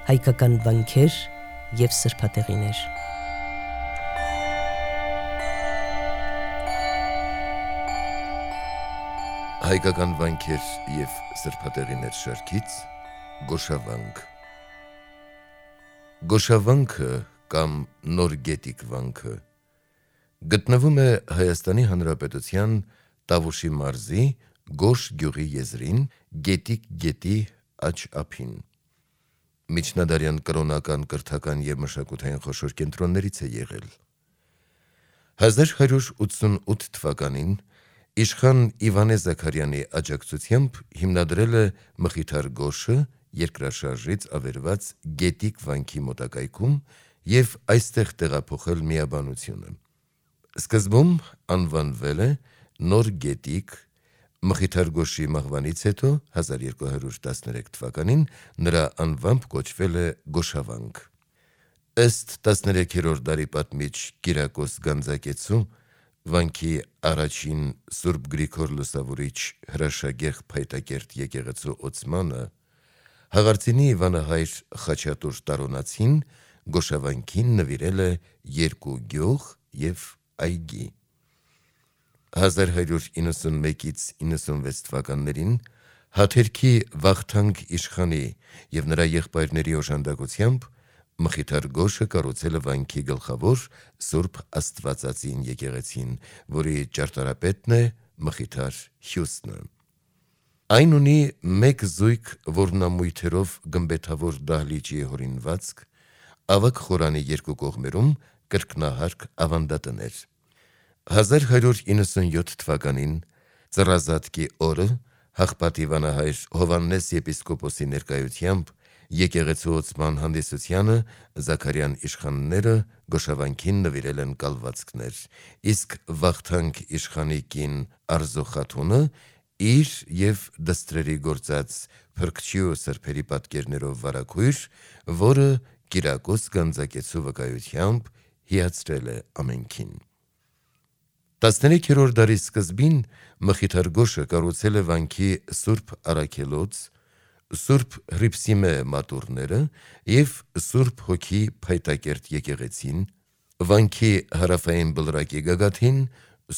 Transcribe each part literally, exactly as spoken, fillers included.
հայկական վանքեր և սրբատեղիներ։ Հայկական վանքեր և սրբատեղիներ շարքից Գոշավանք։ Գոշավանքը կամ Նոր Գետիկ վանքը գտնվում է Հայաստանի Հանրապետության Տավուշի մարզի Գոշ գյուղի եզրին, Գետիկ գետի աջ ափին։ Միջնադարյան կրոնական, կրթական և մշակութային խոշոր կենտրոններից է եղել։ հազար հարյուր ութսունութ թվականին իշխան Իվանե Զաքարյանի աջակցությամբ հիմնադրել է Մխիթար Գոշը երկրաշարժից ավերված Գետիկ վանքի մոտակայքում և այստեղ տեղափոխել միաբանությունը։ Սկզբում անվանվել է Նոր Գետիկ, Մխիթար Գոշի մահվանից հետո հազար երկու հարյուր տասներեք թվականին նրա անվամբ կոչվել է Գոշավանք։ Ըստ տասներեքերորդ դարի պատմիչ Կիրակոս Գանձակեցու, վանքի առաջին Սուրբ Գրիգոր Լուսավորիչ հրաշագեղ Փայտակերտ եկեղեցու օծմանը Հաղարծինի Վանահայր Խաչատուր Տարոնացին Գոշավանքին նվիրել է երկու գյուղ և այգի։ հազար հարյուր իննսունմեկից իննսունվեց թվականներին Հաթերքի Վախթանգ իշխանի և նրա եղբայրների օժանդակությամբ Մխիթար Գոշը կառուցել է վանքի գլխավոր Սուրբ Աստվածածին եկեղեցին, որի ճարտարապետն է Մխիթար Հյուսնը։ Այն ունի մեկ զույգ որմնամույթերով գմբեթավոր դահլիճի հորինվածք, ավագ խորանի երկու կողմերում կրկնահարկ ավանդատներ։ հազար հարյուր իննսունյոթ թվականին Ծռազատկի օրը Հաղպատի Վանահայր Հովհաննես եպիսկոպոսի ներկայությամբ եկեղեցու օծման հանդիսությանը Զաքարյան իշխանները Գոշավանքին նվիրել են կալվածքներ, իսկ Վախթանգ իշխանի կին Արզու խաթունը իր և դստրերի գործած փրկչի ու սրբերի պատկերներով վարագույր, որը Կիրակոս Գանձակեցու վկայությամբ հիացրել է ամենքին։ տասներեքերորդ դարի սկզբին Մխիթար Գոշը կառուցել է վանքի Սուրբ Առաքելոց, Սուրբ Հռիփսիմե մատուռները և Սուրբ Հոգի Փայտակերտ եկեղեցին, վանքի հարավային բլրակի գագաթին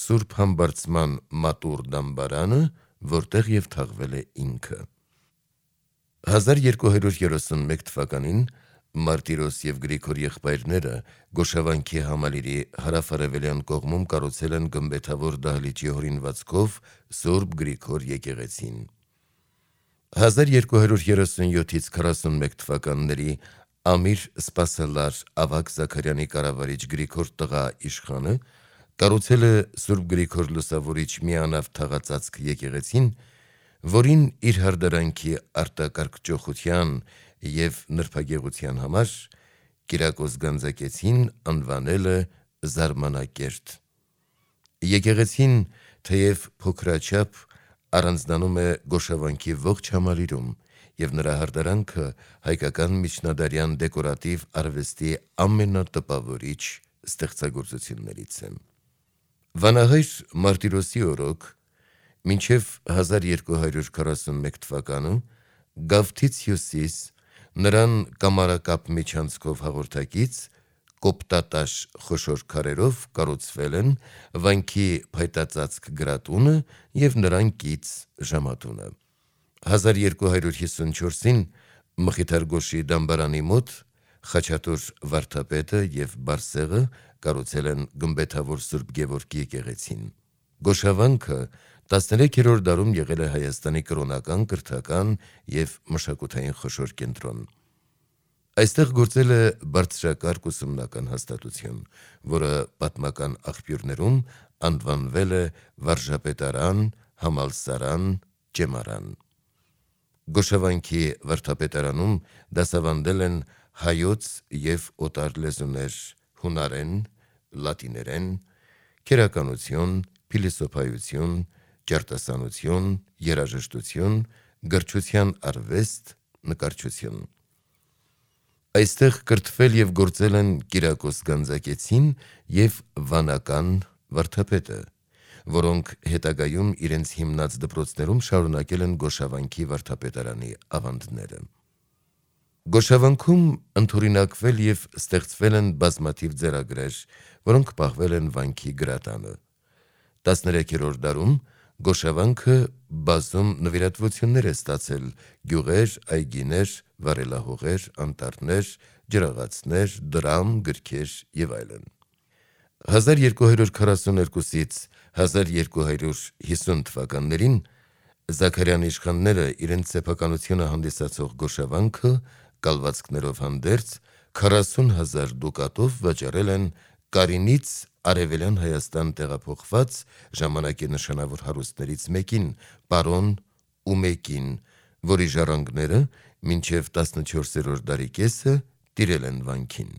Սուրբ Համբարձման մատուռ դամբարանը, որտեղ և թաղվել է ինքը։ հազար երկու հարյուր երեսունմեկ թվականին Մարտիրոս և Գրիգոր եղբայրները Գոշավանքի համալիրի հարավ-արևելյան կողմում կառուցել են գմբեթավոր դահլիճի հորինվածքով Սուրբ Գրիգոր եկեղեցին։ հազար երկու հարյուր երեսունյոթից քառասունմեկ թվականների Ամիր Սպասելար ավագ Զաքարյանի կառավարիչ Գրիգոր տղա իշխանը կառուցել է Սուրբ Գրիգոր Լուսավորիչ միանավ թաղածածկ եկեղեցին, որին իր հարդարանքի արտակարգճոխության և նրբագեղության համար Կիրակոս Գանձակեցին անվանել է Զարմանակերտ։ Եկեղեցին, թեև փոքրաչափ, առանձնանում է Գոշավանքի ողջ համալիրում և նրա հարդարանքը հայկական միջնադարյան դեկորատիվ արվեստի ամենատպավորիչ ստեղծագործություններից է։ Վանահայր Մարտիրոսի օրոք մինչև հազար երկու հարյուր քառասունմեկ թվականը Գավթից հյուսիս նրան կամարակապ միջանցքով հաղորդակից կոպտատաշ խոշոր քարերով կառուցվել են վանքի փայտածածկ գրատունը և նրան կից ժամատունը։ հազար երկու հարյուր հիսունչորսին Մխիթար Գոշի դամբարանի մոտ Խաչատուր վարդապետը և Բարսեղը կառուցել են գմբեթավոր Սուրբ Գևորգ եկեղեցին։ Գոշավանքը տասներեքերորդ դարում եղել է Հայաստանի կրոնական, կրթական և մշակութային խոշոր կենտրոն։ Այստեղ գործել է բարձրակարգ ուսումնական հաստատություն, որը պատմական աղբյուրներում անվանվել է վարժապետարան, համալսարան, ճեմարան։ Գոշավանքի վարդապետարանում դասավանդել են հայոց և օտար լեզուներ, հունարեն, լատիներեն, քերականություն, փիլիսոփայություն, ճարտասանություն, երաժշտություն, գրչության արվեստ, նկարչություն։ Այստեղ կրթվել և գործել են Կիրակոս Գանձակեցին և վանական վարդապետը, որոնք հետագայում իրենց հիմնած դպրոցներում շարունակել են Գոշավանքի վարդապետարանի ավանդները։ Գոշավանքում ընդօրինակվել եւ ստեղծվել են բազմաթիվ ձեռագրեր, որոնք պահվել են վանքի գրատանը։ տասներեքերորդ դարում Գոշավանքը բազում նվիրատվություններ է ստացել գյուղեր, այգիներ, վարելահողեր, անտառներ, ջրաղացներ, դրամ, գրքեր եւ այլն։ հազար երկու հարյուր քառասուներկուից հազար երկու հարյուր հիսուն թվականներին Զաքարյան իշխանները իրենց սեփականությունը հանդիսացող Գոշավանքը կալվածքներով հանդերձ քառասուն հազար դուկատով վաճառել են Կարինից Արևելյան Հայաստան տեղափոխված ժամանակի նշանավոր հարուստներից մեկին, պարոն Ումեկին, որի ժառանգները մինչև տասնչորսերորդ դարի կեսը տիրել են վանքին։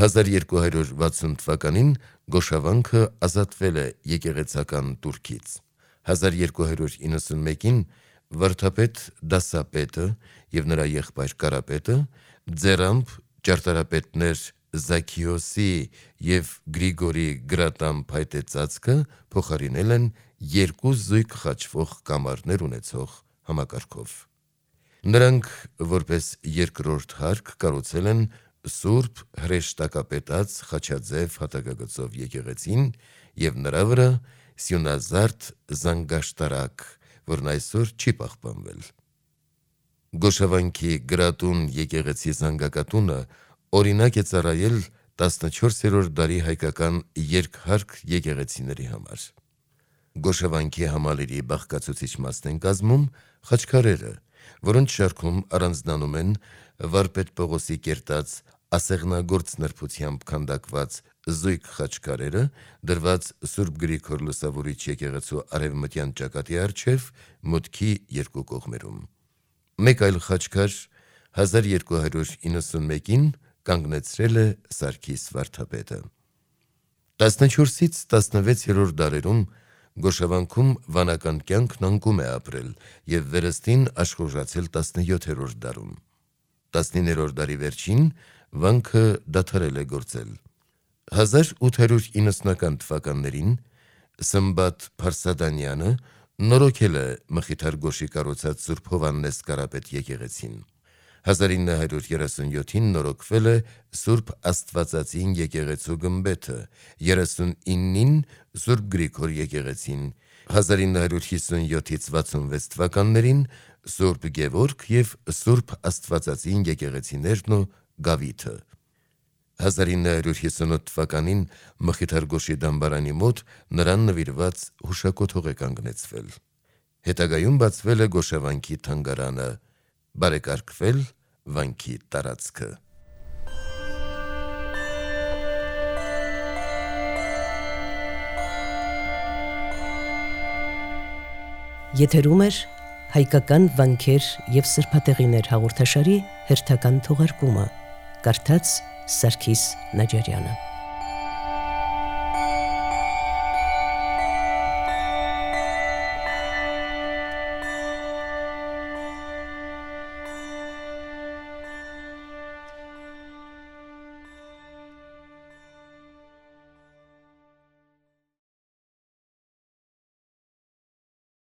հազար երկու հարյուր վաթսուն թվականին Գոշավանքը ազատվել է եկեղեցական տուրքից։ հազար երկու հարյուր իննսունմեկին վարդապետ Դասապետը եւ նրա եղբայր Կարապետը ձեռամբ ճարտարապետներ Զաքիոսի եւ Գրիգորի գրատան փայտե ծածկը փոխարինել են երկու զույգ խաչվող կամարներ ունեցող համակարգով։ Նրանք որպես երկրորդ հարկ կառուցել են Սուրբ հրեշտակապետած խաչաձև հատակագծով եկեղեցին եւ նրա վրա սյունազարդ զանգաշտարակ, որն այսօր չի պահպանվել։ Գոշավանքի գրատուն եկեղեցի զանգակատունը օրինակ է ծառայել տասնչորսերորդ դարի հայկական երկհարկ եկեղեցիների համար։ Գոշավանքի համալիրի բաղկացուցիչ մասն են կազմում խաչքարերը, որոնց շարքում առանձնանում են վարպետ Պողոսի կերտած ասեղնագործ նրբությամբ քանդակված զույգ խաչքարերը, դրված Սուրբ Գրիգոր Լուսավորիչ եկեղեցու արևմտյան ճակատի առջև մուտքի երկու կողմերում։ Մեկ այլ խաչքար հազար երկու հարյուր իննսունմեկին կանգնեցրել է Սարգիս վարդապետը։ տասնչորսից տասնվեցերորդ դարերում Գոշավանքում վանական կյանքն անկում է ապրել եւ վերստին աշխուժացել տասնյոթերորդ դարում։ տասնիններորդ դարի վերջին վանքը դադարել է գործել։ հազար ութ հարյուր իննսունական թվականներին Սմբատ Փարսադանյանը նորոգել է Մխիթար Գոշի կառուցած Սուրբ Հովհաննես Կարապետ եկեղեցին։ հազար ինը հարյուր երեսունյոթին նորոգվել է Սուրբ Աստվածածին եկեղեցու գմբեթը, երեսունինին Սուրբ Գրիգոր եկեղեցին, հազար ինը հարյուր հիսունյոթից վաթսունվեց թվականներին Սուրբ Գևորգ եւ Սուրբ Աստվածածին եկեղեցիներն ու Գավիթը։ հազար ինը հարյուր հիսունութ թվականին Մխիթար Գոշի դամբարանի մոտ նրան նվիրված հուշակոթող է կանգնեցվել։ Հետագայում բացվել է Գոշավանքի թանգարանը, բարեկարգվել վանքի տարածքը։ Եթերում էր հայկական վանքեր եւ սրբատեղիներ հաղորդաշարի հերթական թողարկումը, կարդաց Սարգիս Նաջարյանը։